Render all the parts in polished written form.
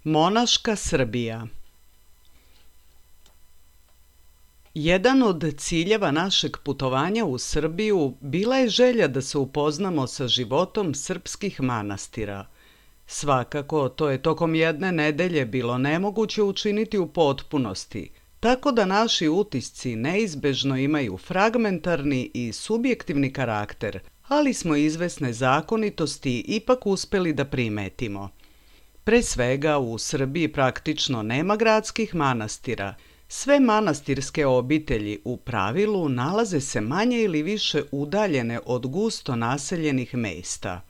Monaška Srbija. Jedan od ciljeva našeg putovanja u Srbiju bila je želja da se upoznamo sa životom srpskih manastira. Svakako, to je tokom jedne nedelje bilo nemoguće učiniti u potpunosti, tako da naši utisci neizbežno imaju fragmentarni i subjektivni karakter, ali smo izvesne zakonitosti ipak uspeli da primetimo. Pre svega, u Srbiji praktično nema gradskih manastira. Sve manastirske obitelji u pravilu nalaze se manje ili više udaljene od gusto naseljenih mesta.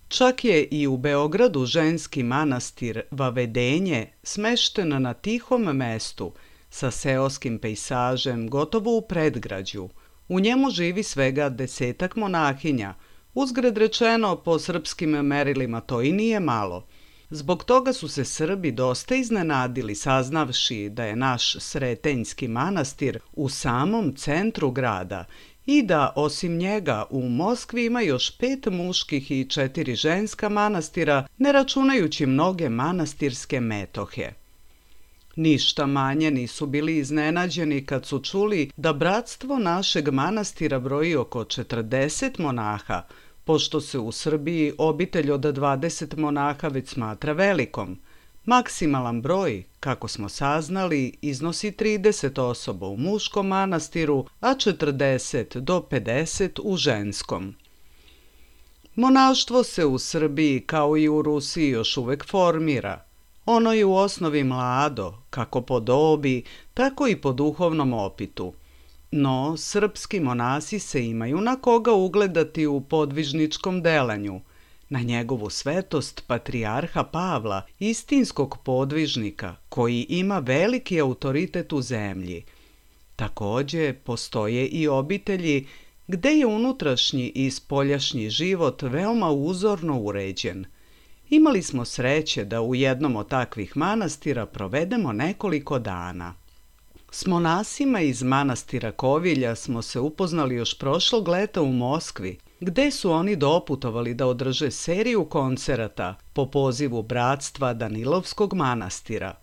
Čak je i u Beogradu ženski manastir Vavedenje smešten na tihom mestu, sa seoskim pejsažem gotovo u predgrađu. U njemu živi svega 10 monahinja. Uzgred rečeno, po srpskim merilima to i nije malo. Zbog toga su se Srbi dosta iznenadili saznavši da je naš Sretenjski manastir u samom centru grada i da osim njega u Moskvi ima još 5 muških i 4 ženska manastira, ne računajući mnoge manastirske metohe. Ništa manje nisu bili iznenađeni kad su čuli da bratstvo našeg manastira broji oko 40 monaha, pošto se u Srbiji obitelj od 20 monaha već smatra velikom. Maksimalan broj, kako smo saznali, iznosi 30 osoba u muškom manastiru, a 40 do 50 u ženskom. Monaštvo se u Srbiji, kao i u Rusiji, još uvek formira. Ono je u osnovi mlado, kako po dobi, tako i po duhovnom opitu. No, srpski monasi se imaju na koga ugledati u podvižničkom delanju, na njegovu svetost patrijarha Pavla, istinskog podvižnika, koji ima veliki autoritet u zemlji. Takođe, postoje i obitelji gde je unutrašnji i spoljašnji život veoma uzorno uređen. Imali smo sreće da u jednom od takvih manastira provedemo nekoliko dana. S monasima iz manastira Kovilja smo se upoznali još prošlog leta u Moskvi, gde su oni doputovali da održe seriju koncerata po pozivu bratstva Danilovskog manastira.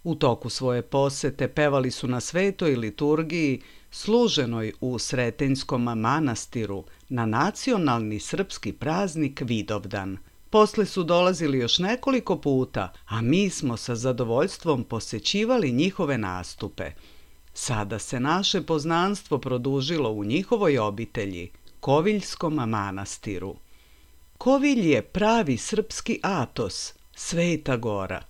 U toku svoje posete pevali su na svetoj liturgiji služenoj u Sretenjskom manastiru na nacionalni srpski praznik Vidovdan. Posle su dolazili još nekoliko puta, a mi smo sa zadovoljstvom posećivali njihove nastupe. Sada se naše poznanstvo produžilo u njihovoj obitelji, Koviljskom manastiru. Kovilj je pravi srpski Atos, Sveta Gora.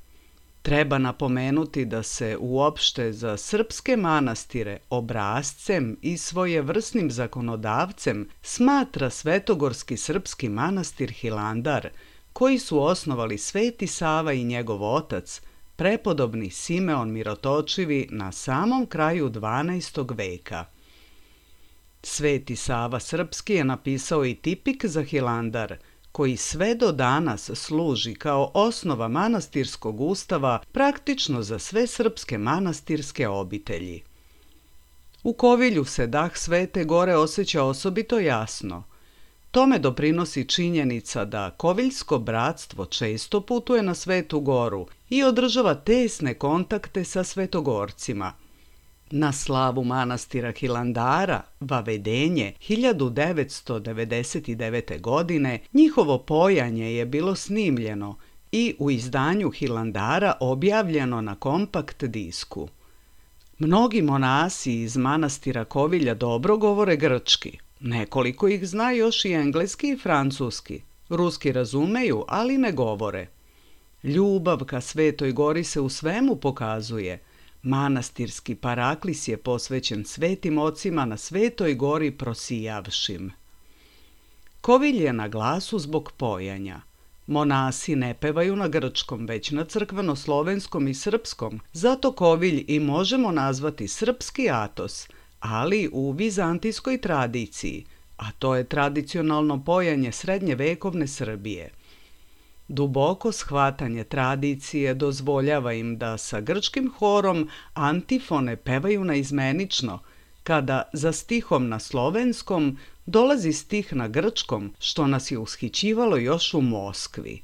Treba napomenuti da se uopšte za srpske manastire obrascem i svojevrsnim zakonodavcem smatra svetogorski srpski manastir Hilandar, koji su osnovali Sveti Sava i njegov otac, prepodobni Simeon Mirotočivi na samom kraju 12. veka. Sveti Sava Srpski je napisao i tipik za Hilandar, koji sve do danas služi kao osnova manastirskog ustava praktično za sve srpske manastirske obitelji. U Kovilju se dah Svete Gore osjeća osobito jasno. Tome doprinosi činjenica da Koviljsko bratstvo često putuje na Svetu Goru i održava tesne kontakte sa svetogorcima. Na slavu manastira Hilandara, Vavedenje, 1999. godine, njihovo pojanje je bilo snimljeno i u izdanju Hilandara objavljeno na kompakt disku. Mnogi monasi iz manastira Kovilja dobro govore grčki. Nekoliko ih zna još i engleski i francuski. Ruski razumeju, ali ne govore. Ljubav ka Svetoj Gori se u svemu pokazuje. Manastirski paraklis je posvećen svetim ocima na Svetoj Gori prosijavšim. Kovilj je na glasu zbog pojanja. Monasi ne pevaju na grčkom, već na crkveno-slovenskom i srpskom, zato Kovilj i možemo nazvati srpski Atos, ali u vizantijskoj tradiciji, a to je tradicionalno pojanje srednjevekovne Srbije. Duboko shvatanje tradicije dozvoljava im da sa grčkim horom antifone pevaju naizmenično, kada za stihom na slovenskom dolazi stih na grčkom, što nas je ushićivalo još u Moskvi.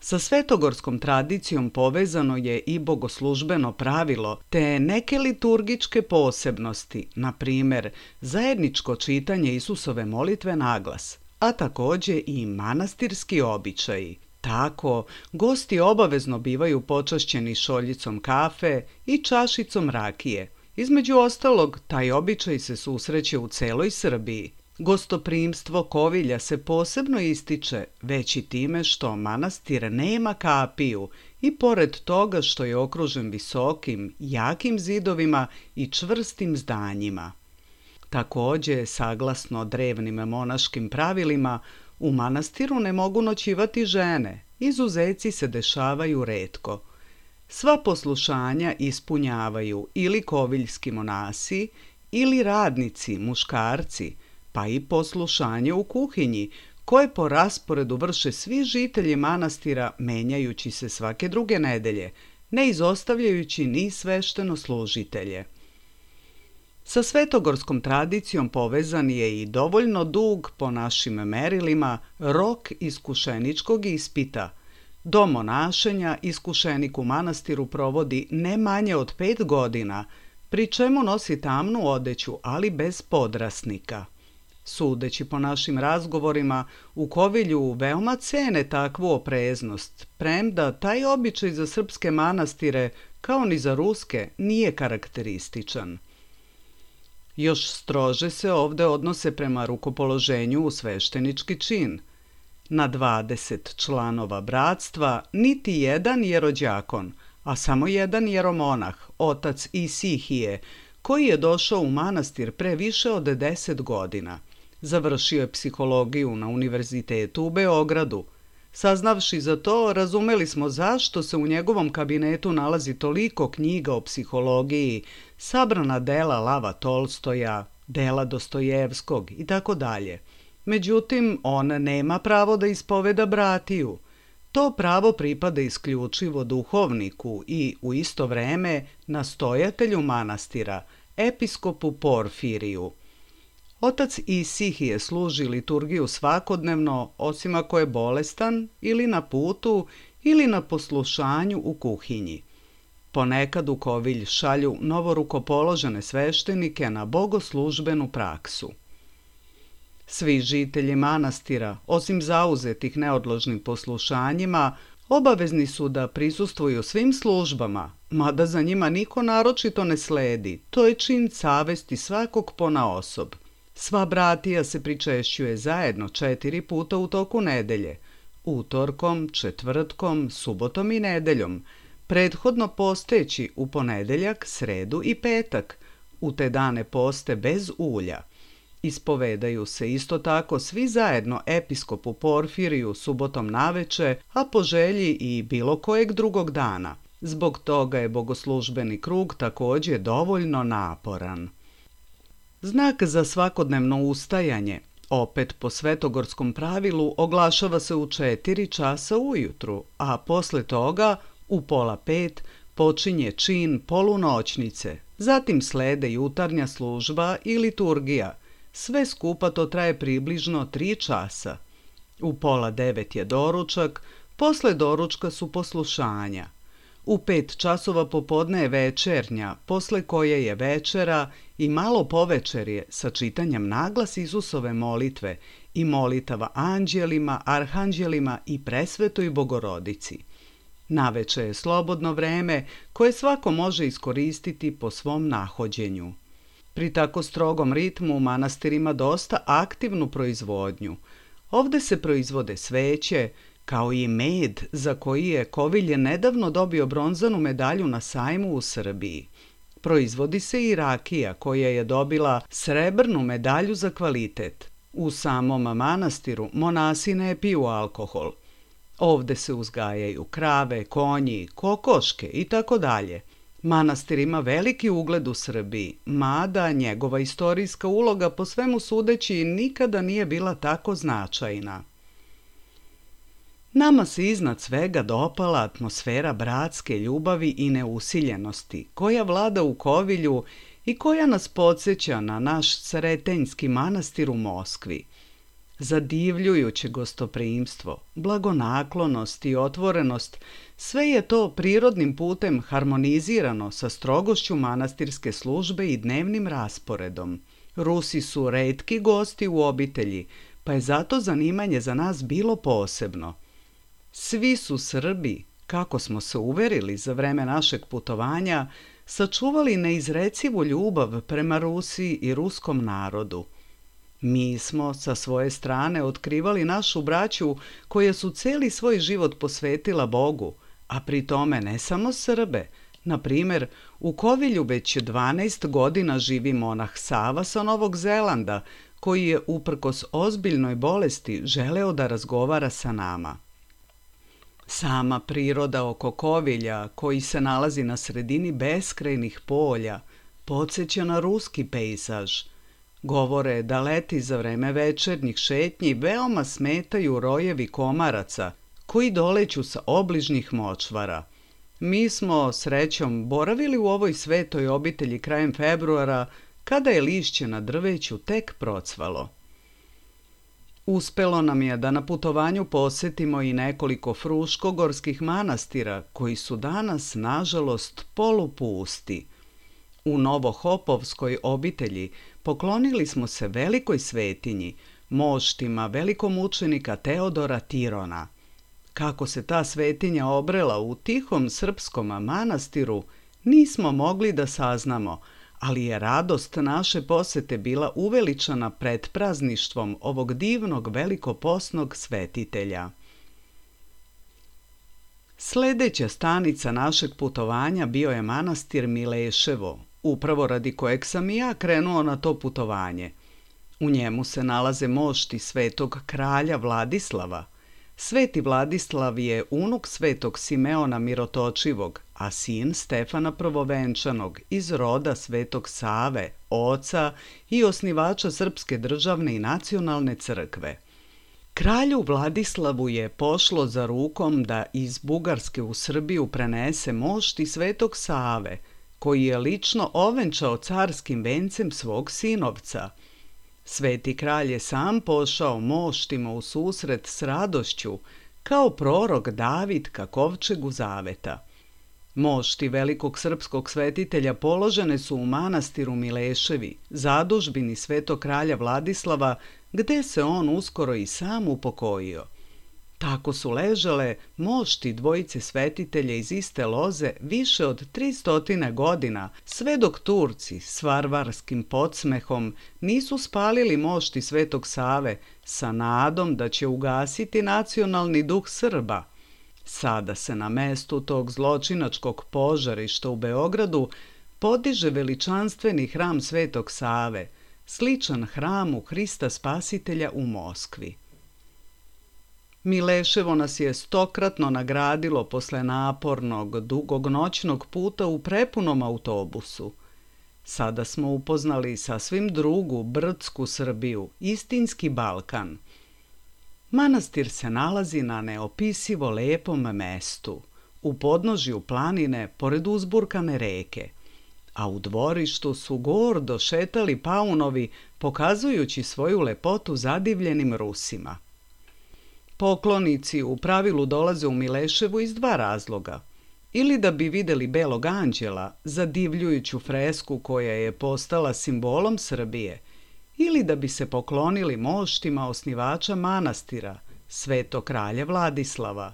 Sa svetogorskom tradicijom povezano je i bogoslužbeno pravilo te neke liturgičke posebnosti, na primjer zajedničko čitanje Isusove molitve naglas, a također i manastirski običaji. Tako, gosti obavezno bivaju počašćeni šoljicom kafe i čašicom rakije. Između ostalog, taj običaj se susreće u celoj Srbiji. Gostoprimstvo Kovilja se posebno ističe već i time što manastir nema kapiju i pored toga što je okružen visokim, jakim zidovima i čvrstim zdanjima. Također, saglasno drevnim monaškim pravilima, u manastiru ne mogu noćivati žene, izuzeci se dešavaju retko. Sva poslušanja ispunjavaju ili koviljski monasi ili radnici, muškarci, pa i poslušanje u kuhinji, koje po rasporedu vrše svi žitelji manastira menjajući se svake druge nedelje, ne izostavljajući ni sveštenoslужitelje. Sa svetogorskom tradicijom povezan je i dovoljno dug, po našim merilima, rok iskušeničkog ispita. Do monašenja iskušenik u manastiru provodi ne manje od 5 godina, pri čemu nosi tamnu odeću, ali bez podrasnika. Sudeći po našim razgovorima, u Kovilju veoma cene takvu opreznost, premda taj običaj za srpske manastire, kao ni za ruske, nije karakterističan. Još strože se ovde odnose prema rukopoloženju u sveštenički čin. Na 20 članova bratstva niti jedan jerođakon, a samo jedan jeromonah, otac Isihije, koji je došao u manastir pre više od 10 godina. Završio je psihologiju na univerzitetu u Beogradu. Saznavši za to, razumeli smo zašto se u njegovom kabinetu nalazi toliko knjiga o psihologiji, sabrana dela Lava Tolstoja, dela Dostojevskog i tako dalje. Međutim, on nema pravo da ispoveda bratiju. To pravo pripada isključivo duhovniku i u isto vreme nastojatelju manastira, episkopu Porfiriju. Otac Isihije služi liturgiju svakodnevno, osim ako je bolestan ili na putu ili na poslušanju u kuhinji. Ponekad u Kovilj šalju novorukopoložene sveštenike na bogoslužbenu praksu. Svi žitelji manastira, osim zauzetih neodložnim poslušanjima, obavezni su da prisustvuju svim službama, mada za njima niko naročito ne sledi, to je čin savesti svakog ponaosob. Sva bratija se pričešćuje zajedno 4 puta u toku nedelje, utorkom, četvrtkom, subotom i nedeljom, prethodno posteći u ponedeljak, sredu i petak, u te dane poste bez ulja. Ispovedaju se isto tako svi zajedno episkopu Porfiriju subotom naveče, a po želji i bilo kojeg drugog dana. Zbog toga je bogoslužbeni krug također dovoljno naporan. Znak za svakodnevno ustajanje, opet po svetogorskom pravilu, oglašava se u 4 časa ujutru, a posle toga u 4:30 počinje čin polunoćnice, zatim slede jutarnja služba i liturgija. Sve skupa to traje približno 3 časa. U 8:30 je doručak, posle doručka su poslušanja. U 5 časova popodne je večernja, posle koje je večera i malo povečerje sa čitanjem naglas Isusove molitve i molitava anđelima, arhanđelima i presvetoj Bogorodici. Naveče je slobodno vreme koje svako može iskoristiti po svom nahođenju. Pri tako strogom ritmu manastir ima dosta aktivnu proizvodnju. Ovde se proizvode sveće, kao i med za koji je Kovilje nedavno dobio bronzanu medalju na sajmu u Srbiji. Proizvodi se i rakija koja je dobila srebrnu medalju za kvalitet. U samom manastiru monasi ne piju alkohol. Ovde se uzgajaju krave, konji, kokoške i tako dalje. Manastir ima veliki ugled u Srbiji, mada njegova istorijska uloga po svemu sudeći nikada nije bila tako značajna. Nama se iznad svega dopala atmosfera bratske ljubavi i neusiljenosti koja vlada u Kovilju i koja nas podsjeća na naš Sretenjski manastir u Moskvi. Zadivljujuće gostoprimstvo, blagonaklonost i otvorenost, sve je to prirodnim putem harmonizirano sa strogošću manastirske službe i dnevnim rasporedom. Rusi su retki gosti u obitelji, pa je zato zanimanje za nas bilo posebno. Svi su Srbi, kako smo se uverili za vreme našeg putovanja, sačuvali neizrecivu ljubav prema Rusiji i ruskom narodu. Mi smo sa svoje strane otkrivali našu braću koja su celi svoj život posvetila Bogu, a pri tome ne samo Srbe. Na primjer, u Kovilju već 12 godina živi monah Sava sa Novog Zelanda, koji je uprkos ozbiljnoj bolesti želeo da razgovara sa nama. Sama priroda oko Kovilja, koji se nalazi na sredini beskrajnih polja, podsjeća na ruski pejzaž. Govore da leti za vreme večernjih šetnji veoma smetaju rojevi komaraca koji doleću sa obližnjih močvara. Mi smo, srećom, boravili u ovoj svetoj obitelji krajem februara, kada je lišće na drveću tek procvalo. Uspelo nam je da na putovanju posetimo i nekoliko fruškogorskih manastira koji su danas, nažalost, polupusti. U Novohopovskoj obitelji poklonili smo se velikoj svetinji, moštima velikomučenika Teodora Tirona. Kako se ta svetinja obrela u tihom srpskom manastiru, nismo mogli da saznamo, ali je radost naše posete bila uveličana pred prazništvom ovog divnog velikoposnog svetitelja. Sljedeća stanica našeg putovanja bio je manastir Mileševo, upravo radi kojeg sam i ja krenuo na to putovanje. U njemu se nalaze mošti svetog kralja Vladislava. Sveti Vladislav je unuk svetog Simeona Mirotočivog, a sin Stefana Prvovenčanog iz roda svetog Save, oca i osnivača Srpske državne i nacionalne crkve. Kralju Vladislavu je pošlo za rukom da iz Bugarske u Srbiju prenese mošti svetog Save, koji je lično ovenčao carskim vencem svog sinovca. Sveti kralj je sam pošao moštima u susret s radošću, kao prorok David ka kovčegu zaveta. Mošti velikog srpskog svetitelja položene su u manastiru Mileševi, zadužbini svetog kralja Vladislava, gde se on uskoro i sam upokojio. Tako su ležale mošti dvojice svetitelja iz iste loze više od 300 godina, sve dok Turci s varvarskim podsmehom nisu spalili mošti svetog Save sa nadom da će ugasiti nacionalni duh Srba. Sada se na mestu tog zločinačkog požarišta u Beogradu podiže veličanstveni hram svetog Save, sličan hramu Hrista Spasitelja u Moskvi. Mileševo nas je stokratno nagradilo posle napornog, dugog noćnog puta u prepunom autobusu. Sada smo upoznali sasvim drugu, brdsku Srbiju, istinski Balkan. Manastir se nalazi na neopisivo lepom mestu, u podnožju planine pored uzburkane reke, a u dvorištu su gordo šetali paunovi, pokazujući svoju lepotu zadivljenim Rusima. Poklonici u pravilu dolaze u Mileševu iz dva razloga. Ili da bi videli belog anđela, zadivljujuću fresku koja je postala simbolom Srbije, ili da bi se poklonili moštima osnivača manastira, svetog kralja Vladislava.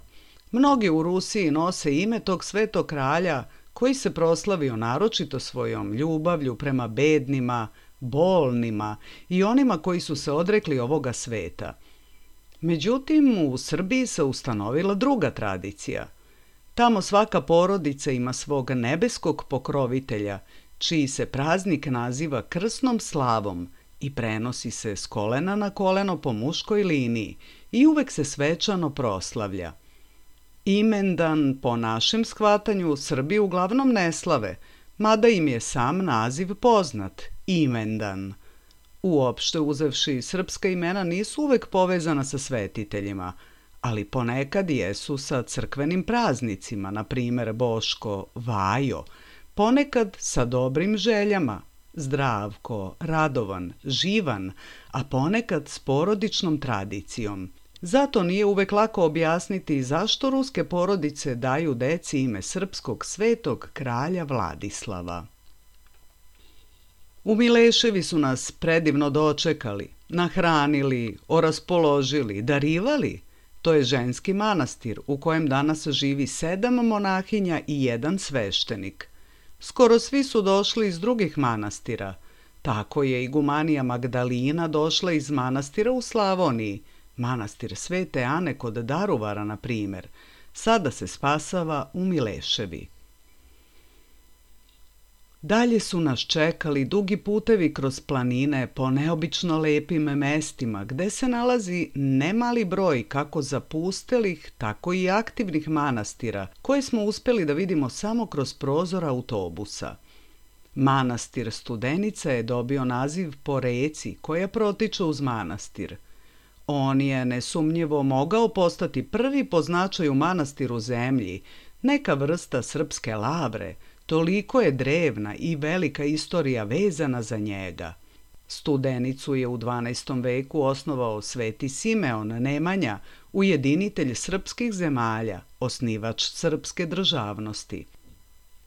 Mnogi u Rusiji nose ime tog svetog kralja koji se proslavio naročito svojom ljubavlju prema bednima, bolnima i onima koji su se odrekli ovoga sveta. Međutim, u Srbiji se ustanovila druga tradicija. Tamo svaka porodica ima svog nebeskog pokrovitelja, čiji se praznik naziva krsnom slavom i prenosi se s kolena na koleno po muškoj liniji i uvek se svečano proslavlja. Imendan, po našem shvatanju, Srbi uglavnom ne slave, mada im je sam naziv poznat, imendan. Uopšte uzevši, srpska imena nisu uvek povezana sa svetiteljima, ali ponekad jesu sa crkvenim praznicima, na primjer Boško, Vajo, ponekad sa dobrim željama, Zdravko, radovan, živan, a ponekad s porodičnom tradicijom. Zato nije uvek lako objasniti zašto ruske porodice daju deci ime srpskog svetog kralja Vladislava. U Mileševi su nas predivno dočekali, nahranili, oraspoložili, darivali. To je ženski manastir u kojem danas živi 7 monahinja i 1 sveštenik. Skoro svi su došli iz drugih manastira. Tako je igumanija Magdalina došla iz manastira u Slavoniji, manastir Svete Ane kod Daruvara, na primjer. Sada se spasava u Mileševi. Dalje su nas čekali dugi putevi kroz planine po neobično lepim mestima, gde se nalazi nemali broj kako zapustelih, tako i aktivnih manastira, koje smo uspeli da vidimo samo kroz prozor autobusa. Manastir Studenica je dobio naziv po reci koja protiče uz manastir. On je nesumnjivo mogao postati prvi po značaju manastir u zemlji, neka vrsta srpske lavre. Toliko je drevna i velika istorija vezana za njega. Studenicu je u 12. veku osnovao Sveti Simeon Nemanja, ujedinitelj srpskih zemalja, osnivač srpske državnosti.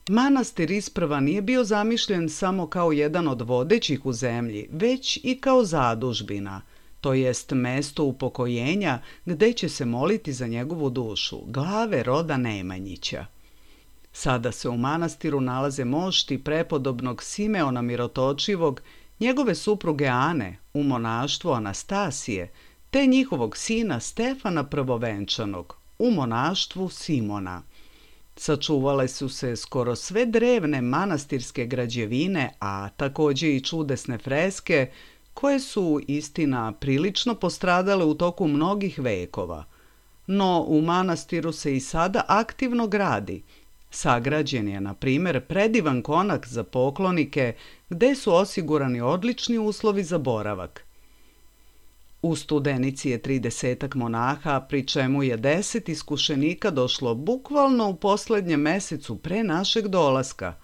Manastir isprva nije bio zamišljen samo kao jedan od vodećih u zemlji, već i kao zadužbina, to jest mesto upokojenja gde će se moliti za njegovu dušu, glave roda Nemanjića. Sada se u manastiru nalaze mošti prepodobnog Simeona Mirotočivog, njegove supruge Ane, u monaštvu Anastasije, te njihovog sina Stefana Prvovenčanog, u monaštvu Simona. Sačuvale su se skoro sve drevne manastirske građevine, a takođe i čudesne freske, koje su, istina, prilično postradale u toku mnogih vekova. No, u manastiru se i sada aktivno gradi. Sagrađen je, na primjer, predivan konak za poklonike, gde su osigurani odlični uslovi za boravak. U Studenici je 30 monaha, pri čemu je 10 iskušenika došlo bukvalno u poslednjem mesecu pre našeg dolaska.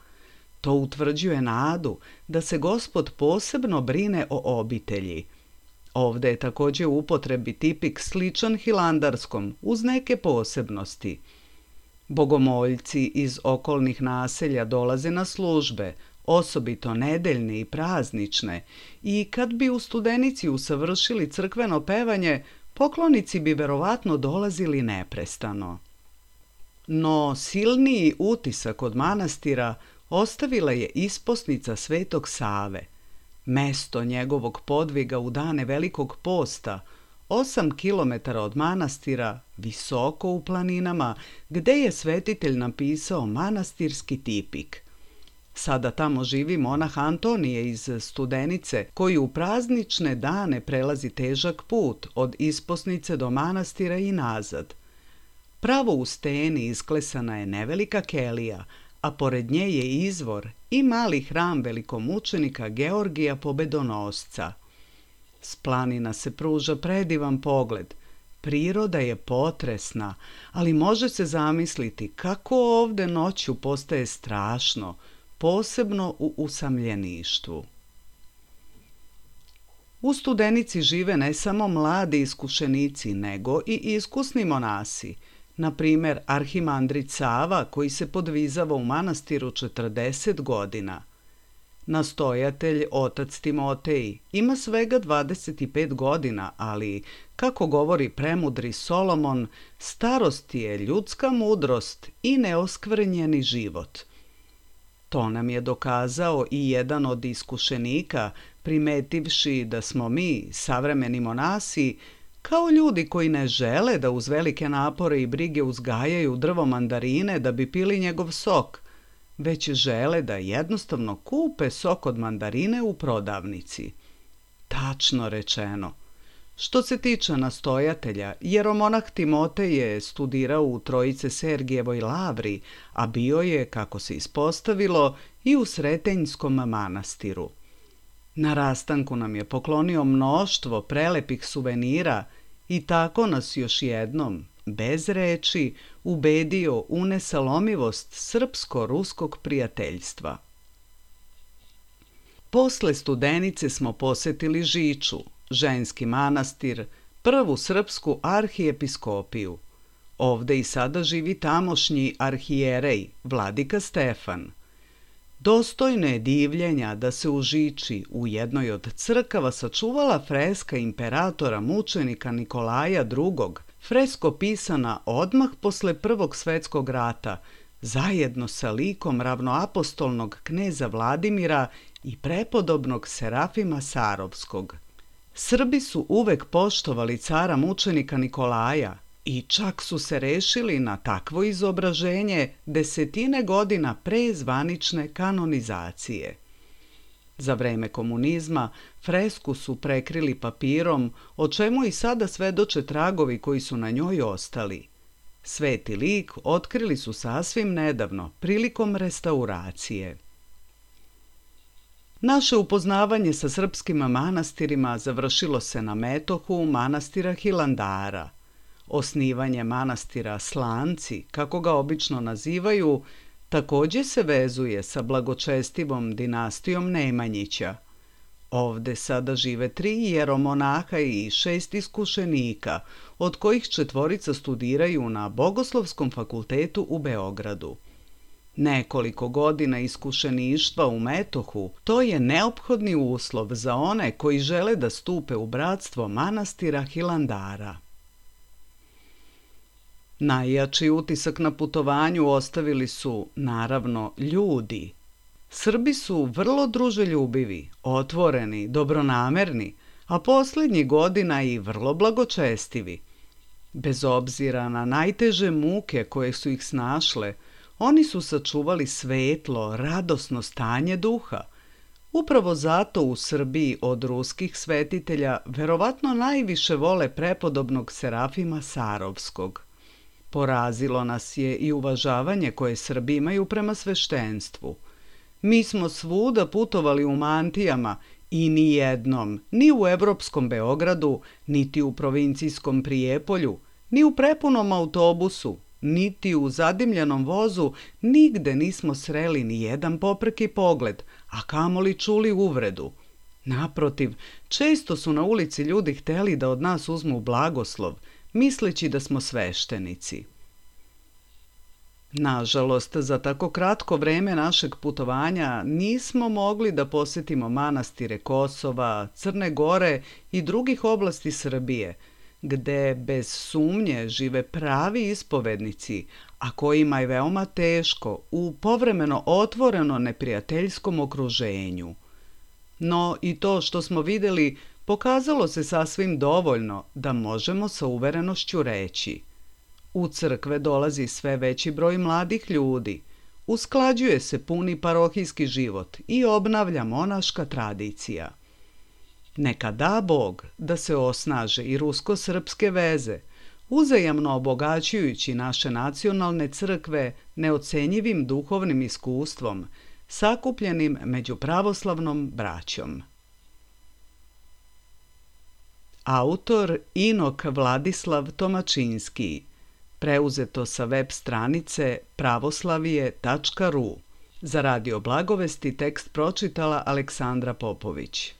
To utvrđuje nadu da se Gospod posebno brine o obitelji. Ovde je takođe u upotrebi tipik sličan hilandarskom, uz neke posebnosti. Bogomoljci iz okolnih naselja dolaze na službe, osobito nedeljne i praznične, i kad bi u Studenici usavršili crkveno pevanje, poklonici bi verovatno dolazili neprestano. No silniji utisak od manastira ostavila je isposnica Svetog Save, mesto njegovog podviga u dane Velikog posta, 8 kilometara od manastira, visoko u planinama, gde je svetitelj napisao manastirski tipik. Sada tamo živi monah Antonije iz Studenice, koji u praznične dane prelazi težak put od isposnice do manastira i nazad. Pravo u steni isklesana je nevelika kelija, a pored nje je izvor i mali hram velikomučenika Georgija Pobedonosca. S planina se pruža predivan pogled. Priroda je potresna, ali može se zamisliti kako ovde noću postaje strašno, posebno u usamljeništvu. U Studenici žive ne samo mladi iskušenici, nego i iskusni monasi, na primjer arhimandrit Sava, koji se podvizava u manastiru 40 godina. Nastojatelj, otac Timotej, ima svega 25 godina, ali, kako govori premudri Solomon, starost je ljudska mudrost i neoskvrnjeni život. To nam je dokazao i jedan od iskušenika, primetivši da smo mi, savremeni monasi, kao ljudi koji ne žele da uz velike napore i brige uzgajaju drvo mandarine da bi pili njegov sok, već žele da jednostavno kupe sok od mandarine u prodavnici. Tačno rečeno. Što se tiče nastojatelja, jeromonah Timotej je studirao u Trojice Sergijevoj lavri, a bio je, kako se ispostavilo, i u Sretenjskom manastiru. Na rastanku nam je poklonio mnoštvo prelepih suvenira i tako nas još jednom, bez reči, ubedio u nesalomivost srpsko-ruskog prijateljstva. Posle Studenice smo posetili Žiču, ženski manastir, prvu srpsku arhijepiskopiju. Ovde i sada živi tamošnji arhijerej, vladika Stefan. Dostojno je divljenja da se u Žiči u jednoj od crkava sačuvala freska imperatora mučenika Nikolaja II, fresko pisana odmah posle Prvog svetskog rata, zajedno sa likom ravnoapostolnog kneza Vladimira i prepodobnog Serafima Sarovskog. Srbi su uvek poštovali cara mučenika Nikolaja i čak su se rešili na takvo izobraženje desetine godina pre zvanične kanonizacije. Za vreme komunizma fresku su prekrili papirom, o čemu i sada svedoče tragovi koji su na njoj ostali. Sveti lik otkrili su sasvim nedavno, prilikom restauracije. Naše upoznavanje sa srpskim manastirima završilo se na metohu manastira Hilandara. Osnivanje manastira Slanci, kako ga obično nazivaju, takođe se vezuje sa blagočestivom dinastijom Nemanjića. Ovde sada žive 3 jeromonaha i 6 iskušenika, od kojih 4 studiraju na Bogoslovskom fakultetu u Beogradu. Nekoliko godina iskušeništva u metohu, to je neophodni uslov za one koji žele da stupe u bratstvo manastira Hilandara. Najjači utisak na putovanju ostavili su, naravno, ljudi. Srbi su vrlo druželjubivi, otvoreni, dobronamerni, a posljednjih godina i vrlo blagočestivi. Bez obzira na najteže muke koje su ih snašle, oni su sačuvali svetlo, radosno stanje duha. Upravo zato u Srbiji od ruskih svetitelja verovatno najviše vole prepodobnog Serafima Sarovskog. Porazilo nas je i uvažavanje koje Srbi imaju prema sveštenstvu. Mi smo svuda putovali u mantijama i ni jednom, ni u evropskom Beogradu, niti u provincijskom Prijepolju, ni u prepunom autobusu, niti u zadimljenom vozu, nigde nismo sreli ni jedan popreki pogled, a kamoli čuli uvredu. Naprotiv, često su na ulici ljudi hteli da od nas uzmu blagoslov, misleći da smo sveštenici. Nažalost, za tako kratko vreme našeg putovanja nismo mogli da posetimo manastire Kosova, Crne Gore i drugih oblasti Srbije, gde bez sumnje žive pravi ispovednici, a kojima je veoma teško u povremeno otvoreno neprijateljskom okruženju. No i to što smo videli pokazalo se sasvim dovoljno da možemo sa uverenošću reći: u crkve dolazi sve veći broj mladih ljudi, usklađuje se puni parohijski život i obnavlja monaška tradicija. Neka da Bog da se osnaže i rusko-srpske veze, uzajamno obogaćujući naše nacionalne crkve neocenjivim duhovnim iskustvom, sakupljenim među pravoslavnom braćom. Autor Inok Vladislav Tomačinski. Preuzeto sa web stranice pravoslavije.ru. Za Radio Blagovesti tekst pročitala Aleksandra Popović.